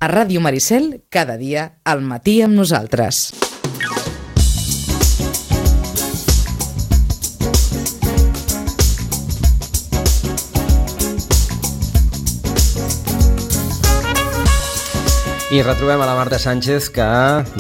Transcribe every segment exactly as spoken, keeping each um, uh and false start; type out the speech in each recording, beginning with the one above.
A Ràdio Maricel, cada dia, al matí amb nosaltres. I retrobem a la Marta Sánchez, que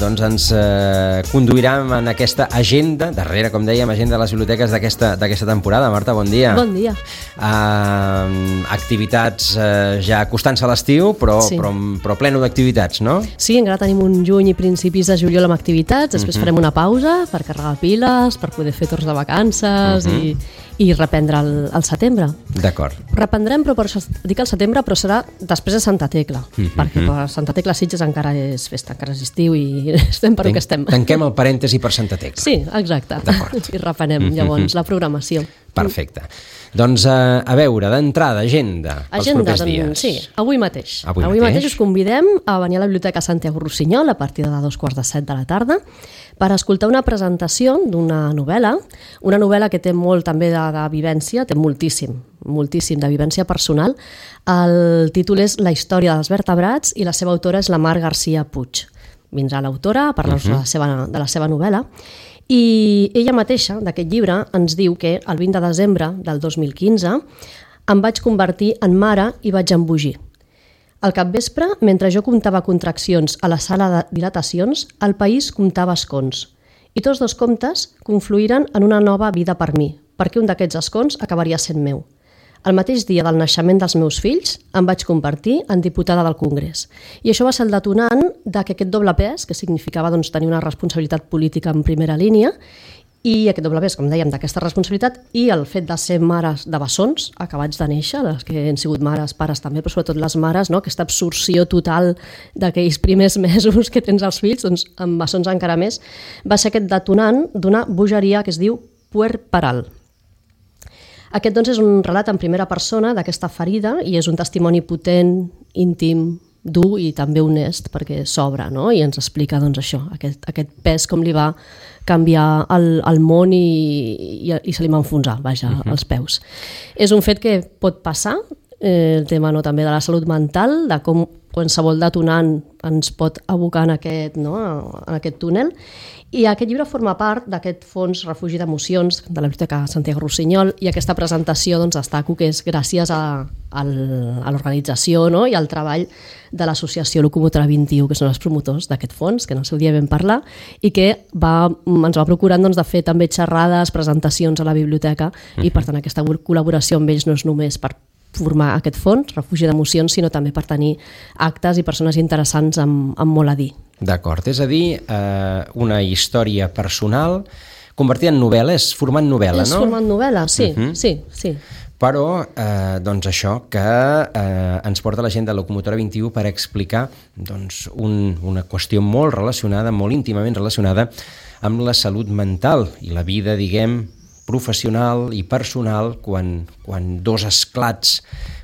doncs, ens eh, conduirà en aquesta agenda, darrere, com dèiem, agenda de les biblioteques d'aquesta temporada. Marta, bon dia. Bon dia. Uh, activitats uh, ja acostant-se a l'estiu, però, sí. però, però pleno d'activitats, no? Sí, encara tenim un juny i principis de juliol amb activitats, després uh-huh. farem una pausa per carregar piles, per poder fer torns de vacances uh-huh. i, i reprendre el, el setembre. D'acord. Reprendrem, però per això dic el setembre, però serà després de Santa Tecla, uh-huh. perquè per Santa Tecla Sitges encara és festa, encara és estiu i estem per Ten, que estem. Tanquem el parèntesi per Santa Tecla. Sí, exacte. I reprenem llavors uh-huh. la programació. Perfecte. Doncs uh, a veure, d'entrada, agenda pels agenda, propers dies. Sí, avui mateix. Avui, avui mateix. mateix us convidem a venir a la Biblioteca Santiago Rossinyol a partir de dos quarts de set de la tarda per escoltar una presentació d'una novel·la, una novel·la que té molt també de, de vivència, té moltíssim, moltíssim de vivència personal. El títol és La història dels vertebrats i la seva autora és la Mar García Puig. Vindrà l'autora a parlar-nos uh-huh. de, la seva, de la seva novel·la. I ella mateixa, d'aquest llibre, ens diu que el vint de desembre del dos mil quinze em vaig convertir en mare i vaig embogir. Al capvespre, mentre jo comptava contraccions a la sala de dilatacions, el país comptava escons. I tots dos comptes confluïren en una nova vida per mi, perquè un d'aquests escons acabaria sent meu. El mateix dia del naixement dels meus fills em vaig convertir en diputada del Congrés. I això va ser el detonant de que aquest doble pes, que significava doncs, tenir una responsabilitat política en primera línia, i aquest doble pes, com dèiem, d'aquesta responsabilitat, i el fet de ser mares de bessons acabats de néixer, les que han sigut mares, pares també, però sobretot les mares, no? Aquesta absorció total d'aquells primers mesos que tens els fills, doncs amb bessons encara més, va ser aquest detonant d'una bogeria que es diu puerperal. Aquest doncs, és un relat en primera persona d'aquesta ferida i és un testimoni potent, íntim, dur i també honest perquè s'obre, no? I ens explica doncs, això, aquest, aquest pes, com li va canviar el, el món i, i, i se li va enfonsar, vaja, uh-huh. als peus. És un fet que pot passar, eh, el tema no, també de la salut mental, de com qualsevol detonant ens pot abocar en aquest, no, en aquest túnel. I aquest llibre forma part d'aquest fons refugi d'emocions de la Biblioteca Santiago Rossinyol i aquesta presentació doncs, destaco que és gràcies a, a l'organització, no? I al treball de l'associació Locomotora vint-i-u, que són els promotors d'aquest fons, que en el seu dia vam parlar, i que va, ens va procurant doncs, de fer també xerrades, presentacions a la biblioteca, uh-huh. i per tant aquesta col·laboració amb ells no és només per formar aquest fons, refugi d'emocions, sinó també per tenir actes i persones interessants amb, amb molt a dir. D'acord, és a dir, eh, una història personal convertida en novel·la, és formant novel·la, és no? És formant novel·la, sí, uh-huh. sí, sí. Però, eh, doncs això, que eh, ens porta la gent de Locomotora vint-i-u per explicar doncs, un, una qüestió molt relacionada, molt íntimament relacionada amb la salut mental i la vida, diguem, professional i personal quan, quan dos esclats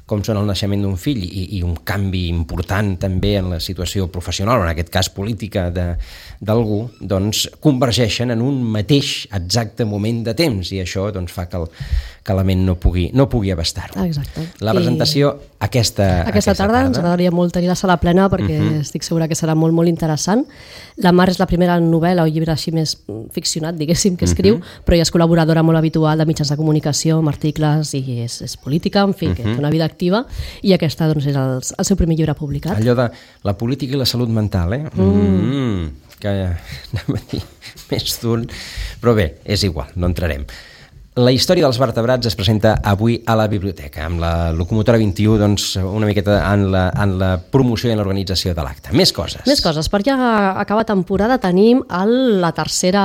com són el naixement d'un fill i, i un canvi important també en la situació professional, o en aquest cas política d'algú, doncs convergeixen en un mateix exacte moment de temps i això doncs, fa que, el, que la ment no pugui, no pugui abastar-ho. Exacte. La presentació I aquesta, aquesta, aquesta tarda, tarda ens agradaria molt tenir la sala plena perquè uh-huh. estic segura que serà molt, molt interessant. La Mar és la primera novel·la o llibre així més ficcionat, diguéssim, que escriu, uh-huh. però ella és col·laboradora molt habitual de mitjans de comunicació, amb articles i és, és política, en fi, uh-huh. que té una vida activa i aquesta doncs, és el, el seu primer llibre publicat. Allò de la política i la salut mental, eh? Mm. Mm, que anem a dir més d'un... Però bé, és igual, no entrarem. La història dels vertebrats es presenta avui a la biblioteca, amb la Locomotora vint-i-u, doncs, una miqueta en la, en la promoció i en l'organització de l'acte. Més coses. Més coses, perquè a acabar temporada tenim el, la tercera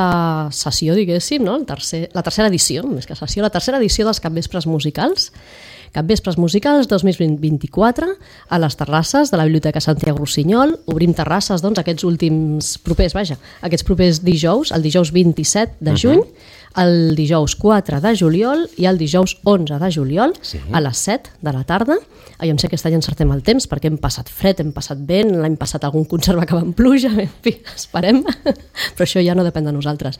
sessió, diguéssim, no? el tercer, la tercera edició, més que sessió, la tercera edició dels capvespres musicals, Capvespres Musicals dos mil vint-i-quatre a les terrasses de la Biblioteca Santiago Rossinyol. Obrim terrasses doncs, aquests últims propers, vaja, aquests propers dijous, el dijous vint-i-set de juny, uh-huh. el dijous quatre de juliol i el dijous onze de juliol sí. a les set de la tarda. Jo sé que aquest any encertem el temps perquè hem passat fred, hem passat vent, l'any passat algun concert va acabar amb pluja, en fi, esperem, però això ja no depèn de nosaltres.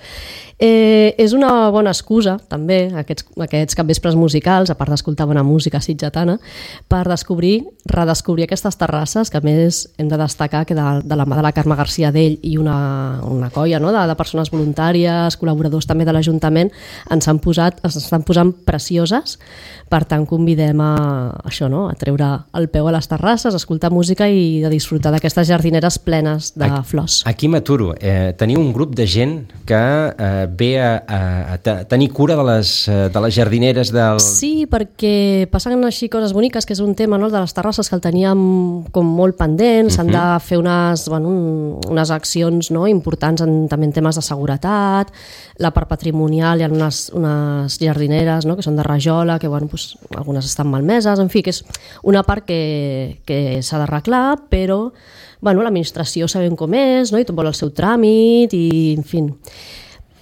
Eh, és una bona excusa, també, aquests, aquests capvespres musicals, a part d'escoltar bona música sitgetana, per descobrir, redescobrir aquestes terrasses, que a més hem de destacar que de, de la mà de la Carme García d'ell i una, una colla no? de, de persones voluntàries, col·laboradors també de l'Ajuntament, ens han posat, ens estan posant precioses, per tant convidem a això, no? a treure el peu a les terrasses, escoltar música i de disfrutar d'aquestes jardineres plenes de aquí, flors. Aquí m'aturo. Eh, teniu un grup de gent que eh, ve a, a, a tenir cura de les, de les jardineres del... Sí, perquè passen així coses boniques, que és un tema no, de les terrasses que el teníem com molt pendent, s'han uh -huh. de fer unes, bueno, un, unes accions no, importants en, també en temes de seguretat, la part patrimonial, hi ha unes, unes jardineres no, que són de rajola, que bueno, pues, algunes estan malmeses, en fi, que és una part que, que s'ha d'arreglar, però bueno, l'administració sabem com és, no? i tot vol el seu tràmit, i en fi.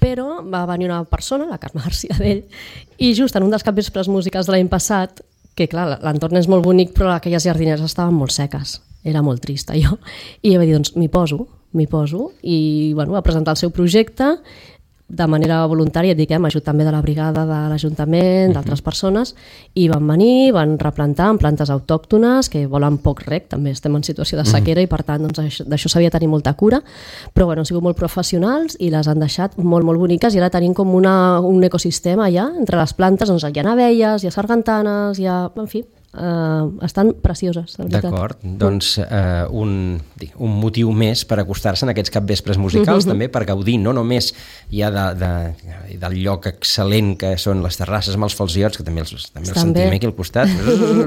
Però va venir una persona, la Carme García d'ell, i just en un dels capvespres musicals de l'any passat, que clar, l'entorn és molt bonic, però aquelles jardineres estaven molt seques, era molt trista jo, i va dir, doncs m'hi poso, m'hi poso, i bueno, va presentar el seu projecte, de manera voluntària, dic, eh, amb ajut també de la brigada de l'Ajuntament, d'altres persones, i van venir, van replantar en plantes autòctones que volen poc rec, també estem en situació de sequera i per tant doncs, d'això s'havia de tenir molta cura, però bueno, han sigut molt professionals i les han deixat molt, molt boniques i ara tenim com una, un ecosistema ja entre les plantes, doncs hi ha abelles, hi ha sargantanes, hi ha, en fi, Uh, estan precioses, de veritat. D'acord, doncs uh, un, un motiu més per acostar-se en aquests capvespres musicals, uh-huh. també per gaudir no només ja de, de, del lloc excel·lent que són les terrasses amb els falciots, que també els, també els sentim aquí al costat,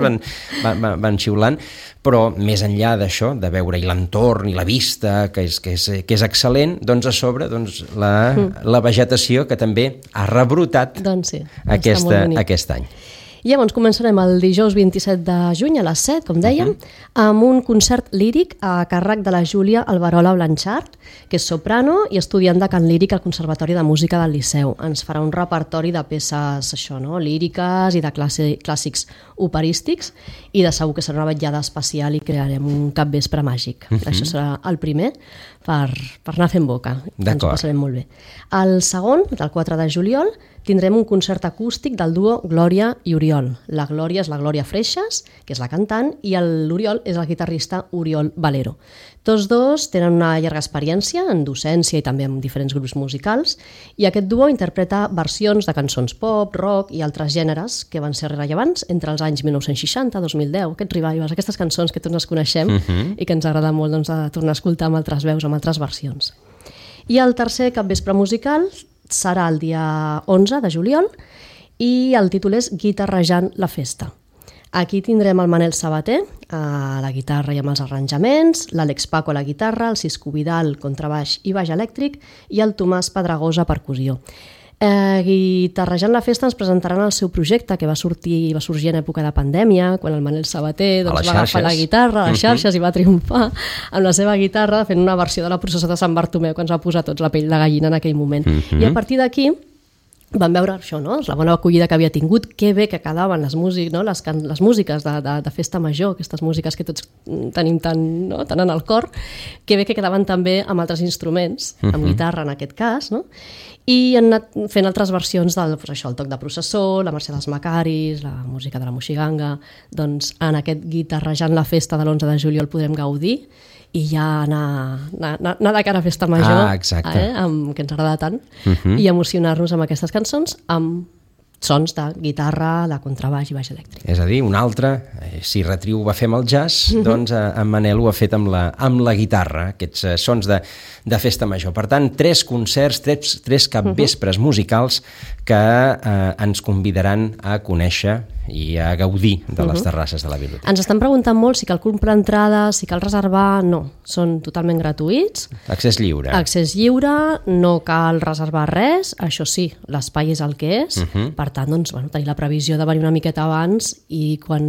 van, van, van xiulant, però més enllà d'això, de veure l'entorn i la vista, que és, que és, que és excel·lent, doncs a sobre doncs, la, uh-huh. la vegetació que també ha rebrotat doncs sí, aquesta, aquest any. I llavors començarem el dijous vint-i-set de juny a les set, com dèiem, uh-huh. amb un concert líric a càrrec de la Júlia Alberola Blanchard, que és soprano i estudiant de cant líric al Conservatori de Música del Liceu. Ens farà un repertori de peces això, no? líriques i de classe, clàssics operístics, i de segur que serà una vetllada especial i crearem un capvespre màgic. Uh-huh. Això serà el primer per, per anar fent boca. Ens ho passarem molt bé. El segon, del quatre de juliol, tindrem un concert acústic del duo Glòria i Oriol. La Glòria és la Glòria Freixas, que és la cantant, i l'Oriol és el guitarrista Oriol Valero. Tots dos tenen una llarga experiència en docència i també en diferents grups musicals, i aquest duo interpreta versions de cançons pop, rock i altres gèneres que van ser rellevants entre els anys mil nou-cents seixanta, dos mil deu, aquests revivals, aquestes cançons que tots ens coneixem uh-huh. i que ens agrada molt doncs, de tornar a escoltar amb altres veus, amb altres versions. I el tercer capvespre musical serà el dia onze de juliol i el títol és Guitarrejant la festa. Aquí tindrem el Manel Sabater a la guitarra i amb els arranjaments, l'Àlex Paco a la guitarra, el Cisco Vidal contrabaix i baix elèctric i el Tomàs Pedregosa a percussió. Eh, Guitarrejant la festa ens presentaran el seu projecte que va sortir va sorgir en època de pandèmia, quan el Manel Sabater doncs, va agafar la guitarra a les xarxes uh-huh. i va triomfar amb la seva guitarra fent una versió de la processó de Sant Bartomeu que ens va posar tots la pell de gallina en aquell moment. Uh-huh. I a partir d'aquí vam veure això, no? La bona acollida que havia tingut, que bé que quedaven les, músic, no? les, can les músiques de, de, de festa major, aquestes músiques que tots tenim tan, no? tan en el cor, que bé que quedaven també amb altres instruments, amb uh-huh. guitarra en aquest cas, no? I han anat fent altres versions del pues això, el toc de processó, la Mercè dels Macaris, la música de la Moixiganga. Doncs en aquest Guitarrejant la festa de l'onze de juliol podrem gaudir i ja anar, anar, anar de cara a festa major, ah, eh, amb, que ens agrada tant, uh-huh. i emocionar-nos amb aquestes cançons amb sons de guitarra, de contrabaix i baix elèctric. És a dir, un altre, eh, si Retriu ho va fer amb el jazz, uh-huh. doncs eh, en Manel ho ha fet amb la, amb la guitarra, aquests eh, sons de, de festa major. Per tant, tres concerts, tres, tres capvespres uh-huh. musicals que eh, ens convidaran a conèixer i a gaudir de les terrasses de la biblioteca. Ens estan preguntant molt si cal comprar entrades, si cal reservar. No, són totalment gratuïts. Accés lliure. Accés lliure, no cal reservar res, això sí, l'espai és el que és, uh-huh. per tant, doncs, bueno, tenir la previsió de venir una miqueta abans i quan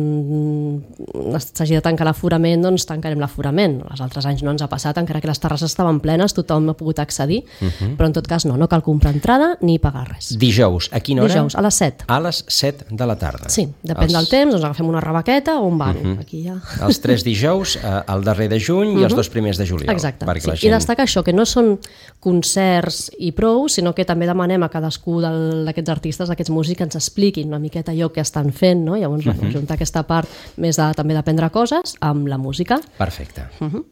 s'hagi de tancar l'aforament, doncs tancarem l'aforament. Els altres anys no ens ha passat, encara que les terrasses estaven plenes, tothom ha pogut accedir, uh-huh. però en tot cas no, no cal comprar entrada ni pagar res. Dijous, a quina hora? Dijous, a les set. A les set de la tarda. Sí, depèn els... del temps, doncs agafem una rebaqueta o un banc. Uh-huh. Aquí ja... Els tres dijous, el darrer de juny uh-huh. i els dos primers de juliol. Exacte, sí. Gent... I destaca això, que no són concerts i prou, sinó que també demanem a cadascú d'aquests artistes, d'aquests músics, que ens expliquin una miqueta allò que estan fent, no? Llavors, uh-huh. bueno, juntar aquesta part més de, també d'aprendre coses amb la música. Perfecte. Uh-huh.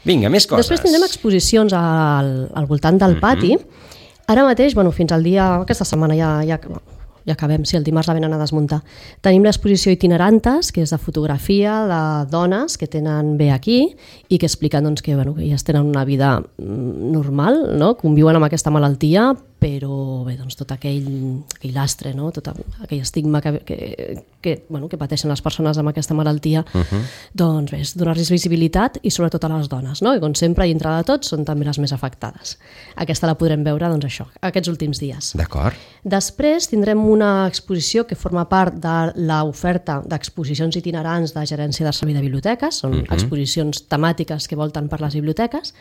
Vinga, més coses. Després tindrem exposicions al, al voltant del pati. Uh-huh. Ara mateix, bueno, fins al dia, aquesta setmana ja, ja, ja acabem, si sí, el dimarts la venen a desmuntar. Tenim l'exposició Itinerantes, que és de fotografia de dones que tenen bé aquí i que expliquen doncs, que, bueno, que ja tenen una vida normal, no? Conviuen amb aquesta malaltia, però bé, doncs, tot aquell, aquell lastre, no? Tot aquell estigma que, que, que, bueno, que pateixen les persones amb aquesta malaltia, uh-huh. doncs bé, donar-los visibilitat i sobretot a les dones, no? I com sempre, i entre de tots, són també les més afectades. Aquesta la podrem veure, doncs això, aquests últims dies. D'acord. Després tindrem una exposició que forma part de l'oferta d'exposicions itinerants de Gerència de Servei de Biblioteques, són uh-huh. exposicions temàtiques que volten per les biblioteques,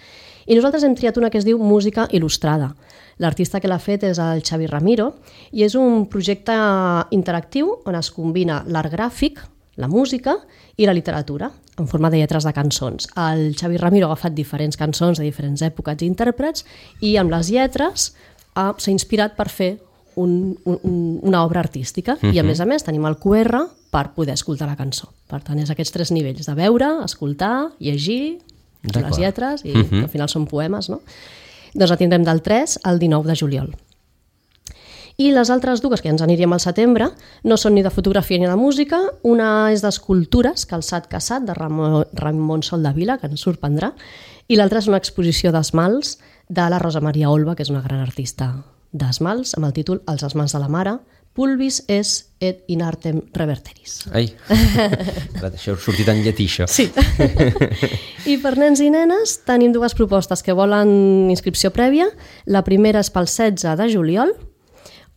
i nosaltres hem triat una que es diu Música Il·lustrada. L'artista que l'ha fet és el Xavi Ramiro i és un projecte interactiu on es combina l'art gràfic, la música i la literatura en forma de lletres de cançons. El Xavi Ramiro ha agafat diferents cançons de diferents èpoques i intèrprets i amb les lletres ha, s'ha inspirat per fer un, un, una obra artística uh-huh. i a més a més tenim el Q R per poder escoltar la cançó. Per tant, és aquests tres nivells de veure, escoltar, llegir, les lletres i uh-huh. al final són poemes, no? Doncs la tindrem del tres al dinou de juliol. I les altres dues, que ja ens aniríem al setembre, no són ni de fotografia ni de música. Una és d'escultures, Calçat Caçat, de Ramon, Ramon Soldavila, que ens sorprendrà, i l'altra és una exposició d'esmalts de la Rosa Maria Olva, que és una gran artista d'esmalts, amb el títol Els esmalts de la mare, Pulvis es et in artem reverteris. Ai, això ha sortit en llatí, això. Sí. I per nens i nenes tenim dues propostes que volen inscripció prèvia. La primera és pel setze de juliol,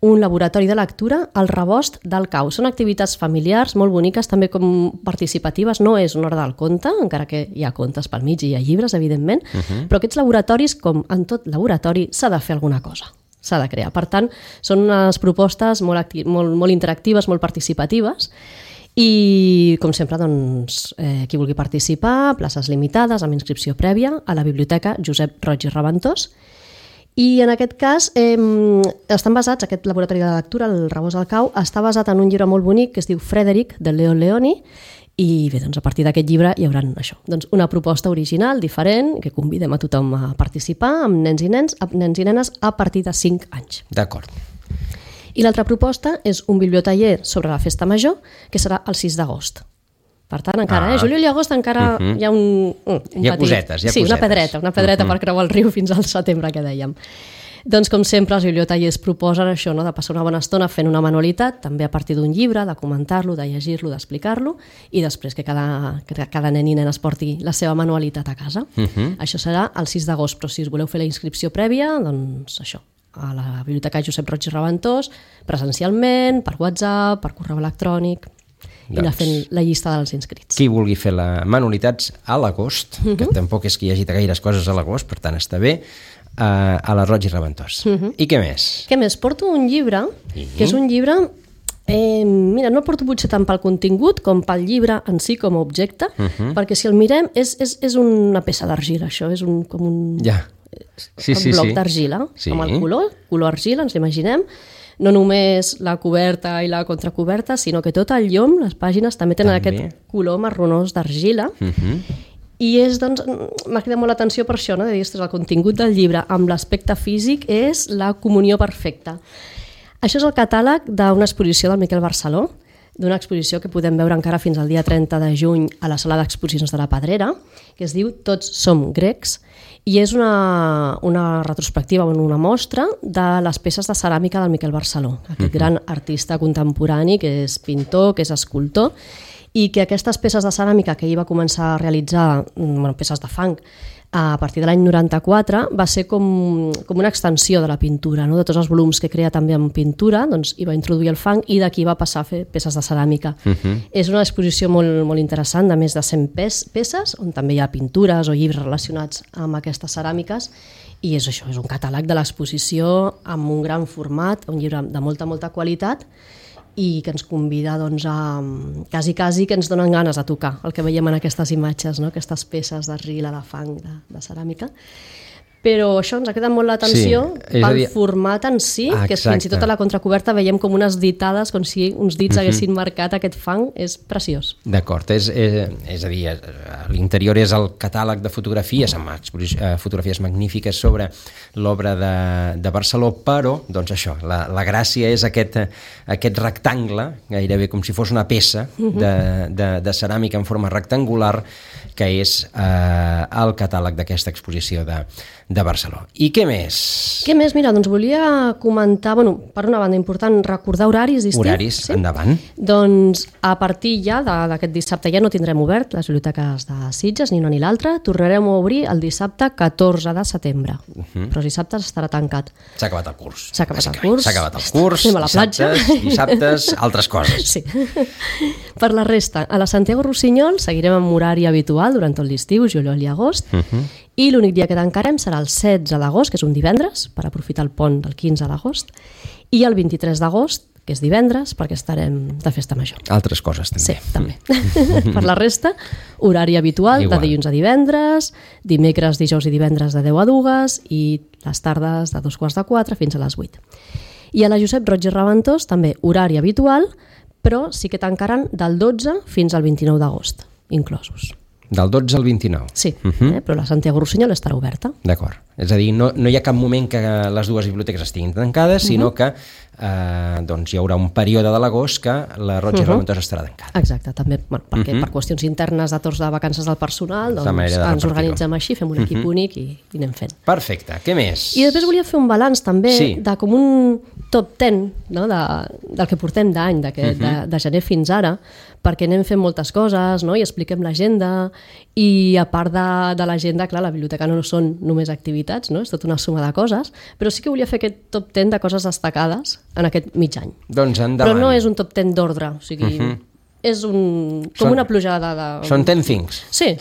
un laboratori de lectura al Rebost del Cau. Són activitats familiars molt boniques, també com participatives. No és una hora del conte, encara que hi ha contes pel mig i hi ha llibres, evidentment, uh-huh. però aquests laboratoris, com en tot laboratori, s'ha de fer alguna cosa. S'ha de crear. Per tant, són unes propostes molt, acti- molt, molt interactives, molt participatives i, com sempre, doncs, eh, qui vulgui participar, places limitades, amb inscripció prèvia, a la Biblioteca Josep Roig i Reventós. I en aquest cas eh, estan basats, aquest laboratori de lectura, el Rebost del Cau, està basat en un llibre molt bonic que es diu Frederic, de Leo Leoni, i bé, doncs a partir d'aquest llibre hi haurà això, doncs una proposta original, diferent, que convidem a tothom a participar, amb nens i nens, nens i nenes a partir de cinc anys. D'acord. I l'altra proposta és un bibliotaller sobre la festa major, que serà el sis d'agost. Per tant, encara, ah. eh? Juliol i agost encara uh-huh. hi ha un, un, un hi ha petit... cosetes, hi ha sí, cosetes. una pedreta, una pedreta uh-huh. per creuar el riu fins al setembre, que dèiem. Doncs, com sempre, els bibliotallers proposen això, no? De passar una bona estona fent una manualitat, també a partir d'un llibre, de comentar-lo, de llegir-lo, d'explicar-lo, i després que cada, que cada nen i nena es porti la seva manualitat a casa. Uh-huh. Això serà el sis d'agost, però si us voleu fer la inscripció prèvia, doncs això, a la Biblioteca Josep Roig i Reventós, presencialment, per WhatsApp, per correu electrònic, i doncs, anar fent la llista dels inscrits. Qui vulgui fer la manualitats a l'agost, uh-huh. que tampoc és que hi hagi gaires coses a l'agost, per tant està bé, a, a la Roig i Reventós. Uh-huh. I què més? Què més? Porto un llibre, uh-huh. que és un llibre... Eh, mira, no el porto potser tant pel contingut com pel llibre en si com a objecte, uh-huh. perquè si el mirem és, és, és una peça d'argila, això, és un, com un, ja. sí, un sí, bloc sí. d'argila, sí. amb el color, color argila, ens l'imaginem, no només la coberta i la contracoberta, sinó que tot el llom, les pàgines, també tenen també. Aquest color marronós d'argila, uh-huh. i és, doncs, m'ha cridat molt l'atenció per això, no? De dir, ostres, el contingut del llibre amb l'aspecte físic és la comunió perfecta. Això és el catàleg d'una exposició del Miquel Barceló, d'una exposició que podem veure encara fins al dia trenta de juny a la sala d'exposicions de la Pedrera, que es diu Tots som grecs, i és una, una retrospectiva, una mostra de les peces de ceràmica del Miquel Barceló, aquest gran artista contemporani que és pintor, que és escultor, i que aquestes peces de ceràmica que ell va començar a realitzar, bueno, peces de fang, a partir de l'any noranta-quatre, va ser com, com una extensió de la pintura, no? De tots els volums que crea també en pintura, doncs hi va introduir el fang i d'aquí va passar a fer peces de ceràmica. Uh-huh. És una exposició molt, molt interessant, de més de cent peces, on també hi ha pintures o llibres relacionats amb aquestes ceràmiques, i és això, és un catàleg de l'exposició amb un gran format, un llibre de molta, molta qualitat, i que ens convida doncs, a quasi, quasi que ens donen ganes de tocar el que veiem en aquestes imatges, no? Aquestes peces d'argila, de fang, de, de ceràmica. Però això ens ha quedat molt l'atenció sí, pel dir... format en si, ah, que fins i tot a la contracoberta veiem com unes ditades, com si uns dits uh-huh. haguessin marcat aquest fang, és preciós. D'acord, és, és, és a dir, l'interior és el catàleg de fotografies, amb fotografies magnífiques sobre l'obra de, de Barceló, però, doncs això, la, la gràcia és aquest, aquest rectangle, gairebé com si fos una peça uh-huh. de, de, de ceràmica en forma rectangular, que és eh, el catàleg d'aquesta exposició de, de Barceló. I què més? Què més? Mira, doncs volia comentar, bueno, per una banda important, recordar horaris d'estiu. Horaris, sí? Endavant. Doncs a partir ja d'aquest dissabte ja no tindrem obert les biblioteques de Sitges, ni una ni l'altra. Tornarem a obrir el dissabte catorze de setembre, uh-huh. però els dissabtes estarà tancat. S'ha acabat el curs. S'ha acabat el curs. S'ha acabat el curs, anem a la platja. Dissabtes, dissabtes, altres coses. Sí. Per la resta, a la Santiago Rossinyol seguirem amb horari habitual durant tot l'estiu, juliol i agost, uh-huh. i l'únic dia que tancarem serà el setze d'agost, que és un divendres, per aprofitar el pont del quinze d'agost, i el vint-i-tres d'agost, que és divendres, perquè estarem de festa major. Altres coses, també. Sí, també. Per la resta, horari habitual, Igual. de dilluns a divendres, dimecres, dijous i divendres de deu a dues, i les tardes de dos quarts de quatre fins a les vuit. I a la Josep Roig i Reventós, també horari habitual, però sí que tancaran del dotze fins al vint-i-nou d'agost, inclosos. Del dotze al vint-i-nou? Sí, uh-huh. eh, però la Santiago Rossinyol estarà oberta. D'acord. És a dir, no, no hi ha cap moment que les dues biblioteques estiguin tancades, uh-huh. sinó que eh, doncs hi haurà un període de l'agost que la Roig i uh-huh. Reventós estarà tancada. Exacte, també, bueno, perquè uh-huh. per qüestions internes de torns de vacances del personal, doncs de ens organitzem així, fem un equip uh-huh. únic i, i anem fent. Perfecte, què més? I després volia fer un balanç també sí. de com un top ten, no? de, del que portem d'any, de, uh-huh. de, de gener fins ara, perquè anem fent moltes coses, no? I expliquem l'agenda, i a part de, de l'agenda, clar, la biblioteca no són només activitats, no? És tota una suma de coses, però sí que volia fer aquest top ten de coses destacades en aquest mig any. Doncs endavant. Però no és un top ten d'ordre, o sigui, uh-huh. és un, com són, una plujada de... Són ten things. Sí,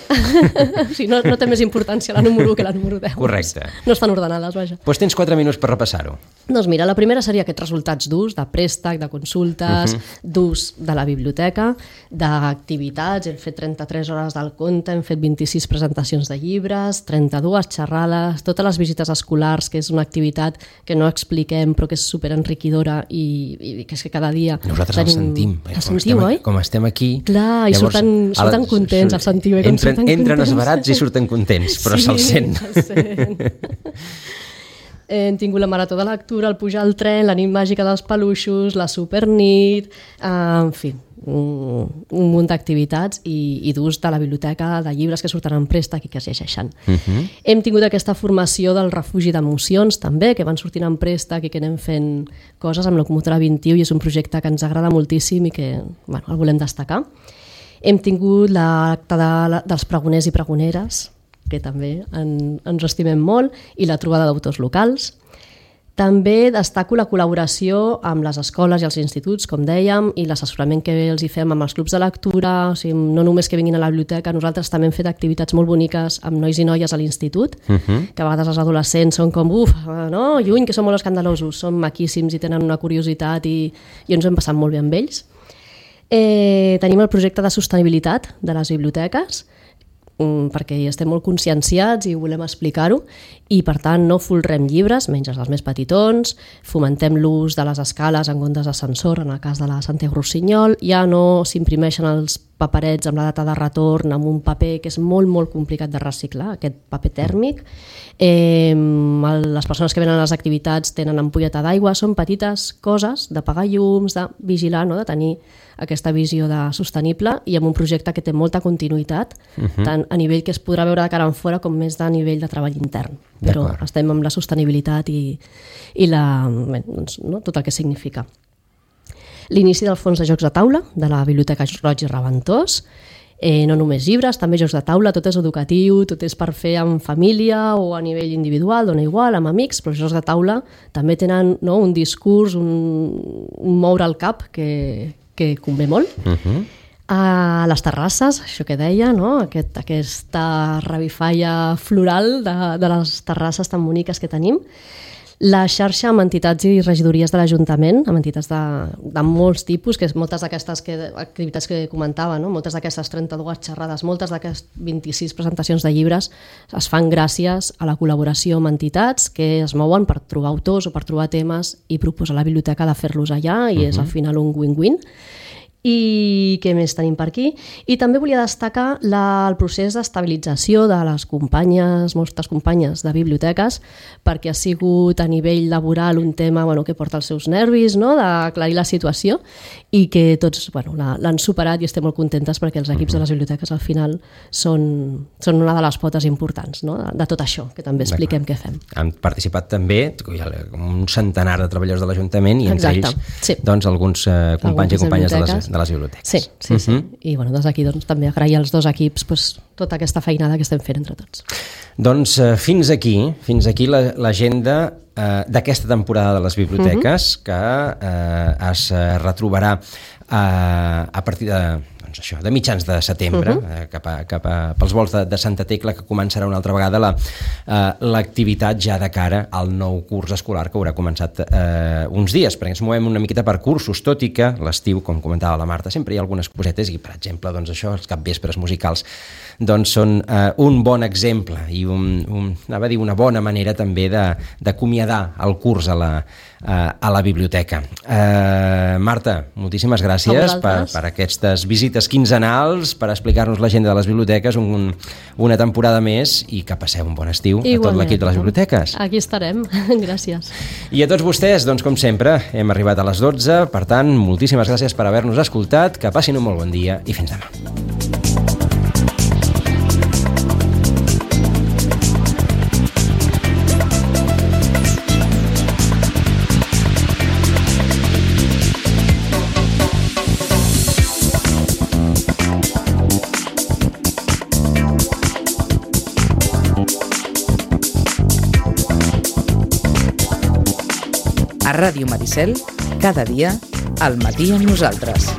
sí no, no té més importància la número u que la número deu. Correcte. No estan ordenades, vaja. Doncs tens quatre minuts per repassar-ho. Doncs mira, la primera seria aquests resultats d'ús, de préstec, de consultes, uh-huh. d'ús de la biblioteca, d'activitats, hem fet trenta-tres hores del conte, hem fet vint-i-sis presentacions de llibres, trenta-dues xerrades, totes les visites escolars, que és una activitat que no expliquem però que és superenriquidora i, i que és que cada dia... Nosaltres tenim... el sentim. El sentiu, oi? Com estem aquí... Clar, i surten, surten contents, el sentiu. Entren, surten entren esverats i surten contents, però sí, se'l sent. se'l sent. Hem tingut la marató de lectura, el pujar al tren, la nit màgica dels peluixos, la supernit, eh, en fi, un, un munt d'activitats i, i d'ús de la biblioteca, de llibres que surten en préstec i que es llegeixen. Uh-huh. Hem tingut aquesta formació del refugi d'emocions també, que van sortint en préstec i que anem fent coses amb Locomotora vint i u i és un projecte que ens agrada moltíssim i que bueno, el volem destacar. Hem tingut l'acte de, dels pregoners i pregoneres, que també en, ens estimem molt, i la trobada d'autors locals. També destaco la col·laboració amb les escoles i els instituts, com dèiem, i l'assessorament que els hi fem amb els clubs de lectura, o sigui, no només que vinguin a la biblioteca, nosaltres també hem fet activitats molt boniques amb nois i noies a l'institut, uh-huh. que a vegades els adolescents són com, uf, no, lluny, que són molt escandalosos, són maquíssims i tenen una curiositat i, i ens ho hem passat molt bé amb ells. Eh, tenim el projecte de sostenibilitat de les biblioteques, perquè hi estem molt conscienciats i volem explicar-ho, i per tant no folrem llibres, menys els més petitons, fomentem l'ús de les escales en comptes d'ascensor, en el cas de la Santiago Rossinyol, ja no s'imprimeixen els paperets amb la data de retorn, amb un paper que és molt, molt complicat de reciclar, aquest paper tèrmic. Eh, les persones que venen a les activitats tenen ampolleta d'aigua, són petites coses de pagar llums, de vigilar, no? De tenir aquesta visió de sostenible i amb un projecte que té molta continuïtat, uh-huh. tant a nivell que es podrà veure de cara en fora com més de nivell de treball intern. Però estem amb la sostenibilitat i, i la, bé, doncs, no? Tot el que significa. L'inici del fons de jocs de taula de la Biblioteca Roig i Raventós, eh, no només llibres, també jocs de taula, tot és educatiu, tot és per fer amb família o a nivell individual, dona igual, amb amics, però els jocs de taula també tenen, no, un discurs, un, un moure el cap que, que convé molt. Uh-huh. A les terrasses, això que deia, no? Aquest, aquesta revifalla floral de, de les terrasses tan boniques que tenim. La xarxa amb entitats i regidories de l'Ajuntament, amb entitats de, de molts tipus, que és moltes d'aquestes que, activitats que comentava, no? Moltes d'aquestes trenta-dues xerrades, moltes d'aquestes vint-i-sis presentacions de llibres es fan gràcies a la col·laboració amb entitats que es mouen per trobar autors o per trobar temes i proposar a la biblioteca de fer-los allà i uh-huh. és al final un win-win. I què més tenim per aquí? I també volia destacar la, el procés d'estabilització de les companyes, moltes companyes de biblioteques, perquè ha sigut a nivell laboral un tema bueno, que porta els seus nervis, no? D'aclarir la situació i que tots bueno, l'han superat i estem molt contentes perquè els equips de les biblioteques al final són, són una de les potes importants, no? de, de tot això, que també expliquem què fem. Han participat també un centenar de treballadors de l'Ajuntament i entre Exacte, ells sí. doncs, alguns eh, companys i companyes de les, de les biblioteques. Sí, sí, sí. Uh-huh. I bueno, des d'aquí doncs, també agrair als dos equips pues, tota aquesta feinada que estem fent entre tots. Doncs eh, fins aquí, fins aquí l'agenda eh, d'aquesta temporada de les biblioteques uh-huh. que eh, es retrobarà eh, a partir de doncs això, de mitjans de setembre, uh-huh. eh, cap, a, cap a, pels vols de, de Santa Tecla, que començarà una altra vegada la, eh, l'activitat ja de cara al nou curs escolar que haurà començat eh, uns dies, perquè ens movem una miqueta per cursos, tot i que l'estiu, com comentava la Marta, sempre hi ha algunes cosetes i, per exemple, doncs això, els capvespres musicals doncs són eh, un bon exemple i un, un, anava a dir una bona manera també d'acomiadar el curs a la, a, a la biblioteca. Eh, Marta, moltíssimes gràcies per, per aquestes visites quinzenals, per explicar-nos l'agenda de les biblioteques, un, una temporada més i que passeu un bon estiu Igualment. A tot l'equip de les biblioteques. Aquí estarem, gràcies. I a tots vostès, doncs com sempre, hem arribat a les dotze, per tant, moltíssimes gràcies per haver-nos escoltat, que passin un molt bon dia i fins demà. A Ràdio Maricel, cada dia, al matí amb nosaltres.